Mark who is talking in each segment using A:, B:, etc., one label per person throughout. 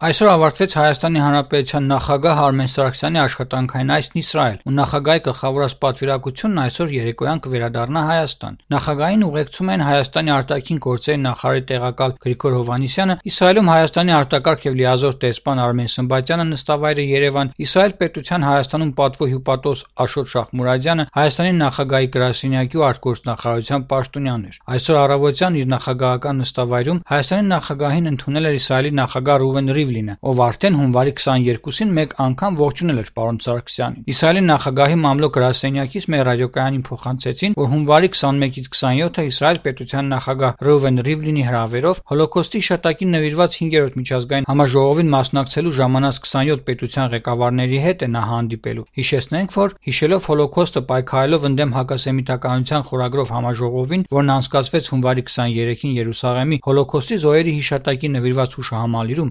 A: Այսօր ավարտվեց Հայաստանի Հանրապետության նախագահ Արմեն Սարգսյանի աշխատանքային այցն Իսրայել, ու նախագահի գլխավորած պատվիրակությունն այսօր երեկոյան կվերադառնա Հայաստան։ Նախագահին ուղեկցում են Հայաստանի արտաքին գործերի նախարարի տեղակալ Գրիգոր Հովհաննիսյանը, Իսրայելում Հայաստանի արտակարգ եւ լիազոր դեսպան Արմեն Սմբատյանը, նստավայրը Երևան, Իսրայել պետության Հայաստանում պատվո հյուպատոս Աշոտ Շախմուրադյանը, Հայաստանի նախագահի գրասենյակի ու արտգործնախարարության պաշտոնյաներ։ Այսօր առավոտյան իր նախագահական նստավայրում Հայաստանի նախագահին ընդունել էր Իսրայելի նախագահ Ռուվեն Ռիվլինը, ով արդեն հունվարի 22-ին մեկ անգամ ողջունել էր պարոն Սարգսյանին։ Իսրայելի նախագահի մամլո գրասենյակից մեր ռադիոկայանին փոխանցեցին, որ հունվարի 21-ից 27-ը Իսրայել պետության նախագահ Ռուվեն Ռիվլինի հրավերով Հոլոկոստի հիշատակին նվիրված 5-րդ միջազգային համաժողովին մասնակցելու ժամանած 27 պետության ղեկավարների հետ է նա հանդիպելու։ Հիշեցնենք, որ հիշելով Հոլոկոստը պայքարելով ընդդեմ հակասեմիտականության խորագրով համաժողովին, որն անցկացվեց հունվարի 23-ին Երուսաղեմի Հոլոկոստի զոհերի հիշատակի նվիրված հուշահամալիրում,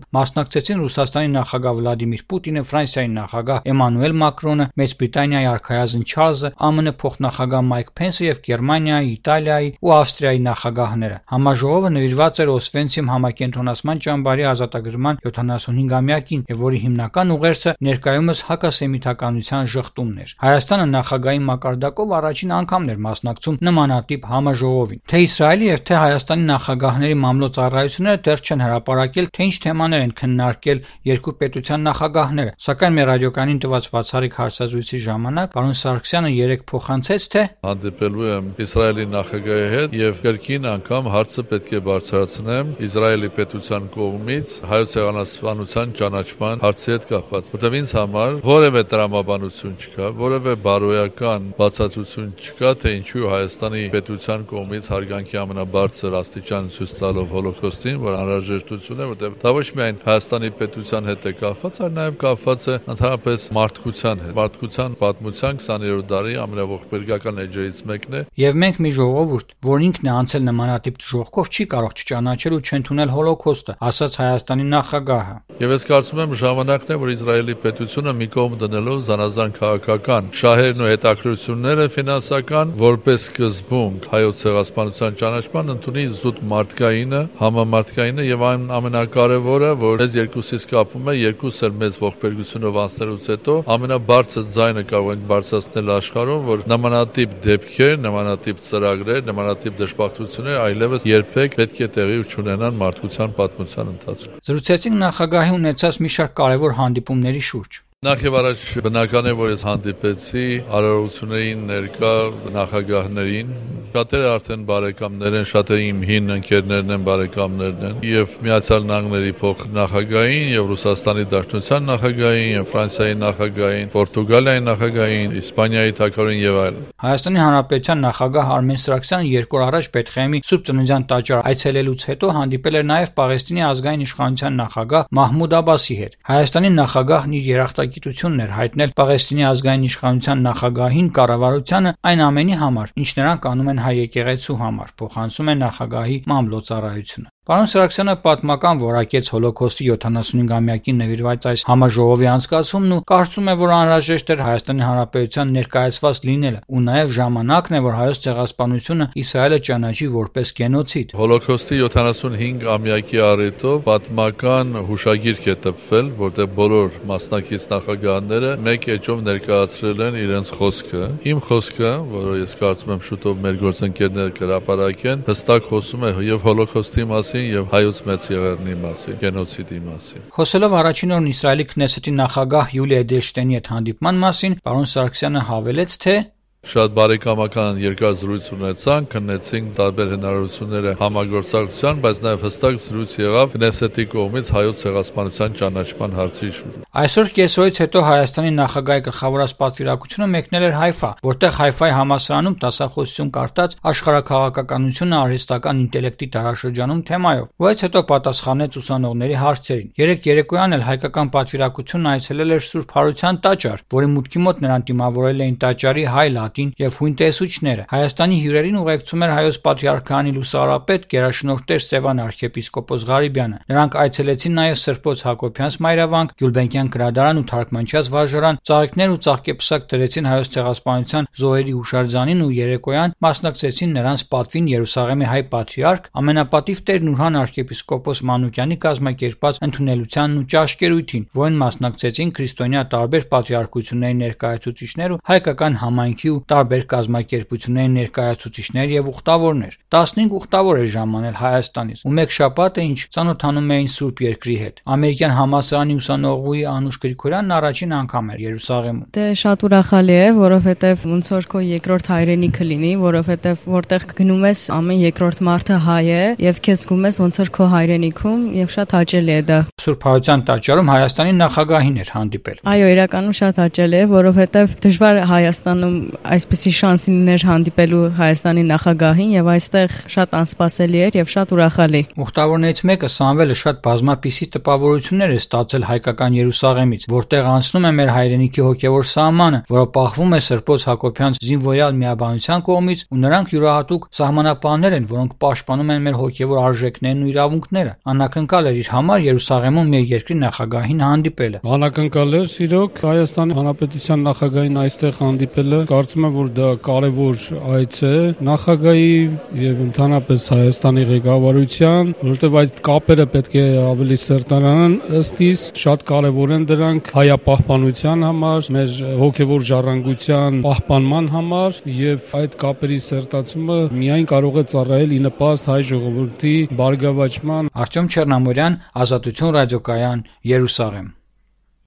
A: մասնակցեցին Ռուսաստանի նախագահ Վլադիմիր Պուտինը, Ֆրանսիայի նախագահ Էմանուել Մակրոնը, Մեծ Բրիտանիայի արքայազն Չարլզը, ԱՄՆ փոխնախագահ Մայք Փենսը եւ Գերմանիայի, Իտալիայի ու Ավստրիայի նախագահները։ Համաժողովը նվիրված էր Օսվենցիմ համակենտրոնացման ճամբարի ազատագրման 75-ամյակին, եւ որի հիմնական ուղերձը ներկայումս հակասեմիտականության շղթումն էր։ Հայաստանը նախագահի մակարդակով առաջին անգամն էր մասնակցում նմանատիպ համաժողովին։ Թե Իսրայելի եւ թե Հայաստանի նախագահների մամլո ծառայությունները դեռ չեն հրապարակել, թե ինչ թեմաներ են քննարկել երկու պետության նախագահները, սակայն մեր ռադիոկայանին տված բացառիկ հարցազրույցի ժամանակ պարոն Սարգսյանը երեկ փոխանցեց, թե
B: հանդիպելու եմ Իսրայելի նախագահի հետ եւ կրկին անգամ հարցը պետք է բարձրացնեմ Իսրայելի պետության կողմից հայոց ցեղասպանության ճանաչման հարցի հետ կապված, որտեղ ինձ համար որևէ տրամաբանություն չկա, որևէ բարոյական բացատրություն չկա, թե ինչու Հայաստանի պետության կողմից հարգանքի ամենաբարձր աստիճան ցույց տալով Հոլոկոստին, որ անհրաժեշտություն է, որտեղ դա ոչ միայն Հայաստանի պետության հետ է կապված, այլ նաև կապված է ընդհանրապես մարդկության հետ։ Մարդկության պատմության 20-րդ դարի ամենաողբերգական էջերից մեկն է։
A: Եվ մենք մի ժողովուրդ, որ ինքն է անցել նմանատիպ ժողովով, չի կարող չճանաչել ու չընդունել Հոլոկոստը, ասաց Հայաստանի նախագահը։
B: Եվ ես կարծում եմ ժամանակն է, որ Իսրայելի պետությունը մի կողմ դնելով զանազան քաղաքական շահերն ու հետաքրքրությունները ֆինանսական, որպես սկզբունք հայոց ցեղասպանության ճանաչման ընդունի զուտ մարդկայինը, համամարտկայինը եւ ամենակարևորը, որ այս երկուսից կապում է, երկուսս էլ մեծ ողբերգությունով անցնելուց հետո ամենաբարձր ձայնը կարող ենք բարձրացնել աշխարհում, որ նմանատիպ դեպքեր, նմանատիպ ծրագրեր, նմանատիպ դժբախտություններ այլևս երբեք պետք է տեղի չունենան մարդկության պատմության ընթացքում։
A: Զրուցեցինք նախագահի ունեցած մի շարք կարևոր հանդիպումների շուրջ։
B: Նախ եւ առաջ բնական է, որ ես հանդիպեցի արարողություններին ներկա նախագահներին, շատերը արդեն բարեկամներ են, շատերը իմ հին ընկերներն են, բարեկամներն են, եւ Միացյալ Նահանգների փոխնախագահային, եւ Ռուսաստանի Դաշնության նախագահային, եւ Ֆրանսիայի նախագահային, Պորտուգալիայի նախագահային, Իսպանիայի թագավորին եւ այլն։
A: Հայաստանի Հանրապետության նախագահ Արմեն Սարգսյանը երկու օր առաջ Պետխեմի Սուրբ Ծննդյան տաճար այցելելուց հետո հանդիպել էր նաեւ Պաղեստինի ազգային իշխանության նախագահ Մահմուդ Աբասի հետ։ Հայաստանի նախագահն իր երախտագիտությունն էր հայտնել Պաղեստինի ազգային իշխանության նախագահին կառավարությանը այն ամենի համար, ինչ նրանք անում են հայ եկեղեցու համար, փոխանցում է նախագահի մամլոյցարայությունը։ Պարոն Սարգսյանը պատմական որակեց Հոլոկոստի 75-ամյակին նվիրված այս համաժողովի անցկացումն ու կարծում է, որ անհրաժեշտ էր Հայաստանի Հանրապետության ներկայացված լինելը, ու նաև ժամանակն է, որ հայոց ցեղասպանությունը Իսրայելը ճանաչի որպես գենոցիդ։
B: Հոլոկոստի 75-ամյակի առիթով պատմական հուշագիրք է տպվել, որտեղ բոլոր մասնակից նախագահները մեկ էջով ներկայացրել են իրենց խոսքը։ Իմ խոսքը, որը ես կարծում եմ շուտով մեր գործընկերները կհրապարակեն, հստակ խոսում է եւ Հոլոկոստի մասին եւ հայոց մեծ եղեռնի մասին, գենոցիդի մասին։
A: Խոսելով առաջին օրն Իսրայելի Քնեսեթի նախագահ Յուլիա Էդելշտեյնի հետ հանդիպման մասին, պարոն Սարգսյանը հավելեց, թե
B: շատ բարեկամական երկար զրույց ունեցանք, քննեցինք տարբեր հնարավորությունները համագործակցության, բայց նաև հստակ զրույց եղավ Քնեսեթի կողմից հայոց ցեղասպանության ճանաչման հարցի շուրջ։
A: Այսօր կեսօրից հետո Հայաստանի նախագահի գլխավորած պատվիրակությունը մեկնել էր Հայֆա, որտեղ Հայֆայի համալսարանում դասախոսություն կարտած աշխարհաքաղաքականությունը արհեստական ինտելեկտի դարաշրջանում թեմայով, որից հետո պատասխանեց ուսանողների հարցերին։ Երեկ երեկոյան էլ հայկական պատվիրակությունն այցելել էր Սուրբ Հարության տաճար, որի մուտքի մոտ նրան դիմավորել էին տաճարի հայ Մարտին եւ հույն տեսուչները։ Հայաստանի հյուրերին ուղեկցում էր հայոց պատրիարքանի լուսարապետ գերաշնորհ Տեր Սևան arczepiskopos Ղարիբյանը։ Նրանք այցելեցին նաեւ Սրբոց Հակոբյանց մայրավանք, Գյուլբենկյան գրադարան ու թարգմանչյաց վարժարան, ծաղիկներ ու ծաղկեպսակ դրեցին հայոց ցեղասպանության զոհերի հուշարձանին ու երեկոյան մասնակցեցին նրանց պատվին Երուսաղեմի հայ պատրիարք, ամենապատիվ Տեր Նուրհան arczepiskopos Մանուկյանի կազմակերպած ընդունելությանն ու ճաշկերույթին, որին մասնակցեցին քրիստոնյա տարբեր պատրիարքությունների ներկայացուցիչներ ու հայկական համայնքի ու տարբեր կազմակերպությունների ներկայացուցիչներ եւ ուխտավորներ։ 15 ուխտավոր էր ժամանել Հայաստանից, ու մեկ շաբաթ է ինչ ծանոթանում էին Սուրբ Երկրի հետ։ Ամերիկյան համալսարանի ուսանողուհի Անուշ Գրիգորյանն առաջին անգամ էր Երուսաղեմում։
C: Դե շատ ուրախալի է, որովհետեւ ոնց որ քո երկրորդ հայրենիքը լինի, որովհետեւ որտեղ գնում ես ամեն երկրորդ մարդը հայ է եւ քեզ զգում ես ոնց որ քո հայրենիքում եւ շատ հաճելի է դա։
A: Սուրբ Հարության տաճարում Հայաստանի նախագահին էր հանդիպել։
C: Այո, իրականում շատ հաճելի է, որովհետեւ դժվար Հայաստանում այսպիսի շանս լիներ հանդիպելու Հայաստանի նախագահին եւ այստեղ շատ անսպասելի էր եւ շատ ուրախալի։
A: Ուխտավորներից մեկը Սամվելը շատ բազմապիսի տպավորություններ է ստացել հայկական Երուսաղեմից, որտեղ անցնում է մեր հայրենիքի հոգևոր սահմանը, որը պահվում է Սրբոց Հակոբյանց զինվորյալ միաբանության կողմից, ու նրանք յուրահատուկ սահմանապահներ են, որոնք պաշտպանում են մեր հոգևոր արժեքներն ու իրավունքները։ Անակնկալ էր իր համար Երուսաղեմում մեր երկրի նախագահին հանդիպելը։
D: Անակնկալ էր իրոք Հայաստանի Հանրապետության նախագահին այստեղ հանդիպելը։ Կարծում եմ, որ դա կարևոր այց է նախագահի եւ ընդհանրապես Հայաստանի ղեկավարության, որովհետեւ այդ կապերը պետք է ավելի սերտարանան ըստ իս, շատ կարևոր են դրանք հայապահպանության համար, մեր հոգևոր ժառանգության պահպանման համար եւ այդ կապերի սերտացումը միայն կարող է ծառայել ի նպաստ հայ ժողովրդի բարգավաճման։
A: Արտյոմ Չեռնամորյան, Ազատություն ռադիոկայան, Երուսաղեմ։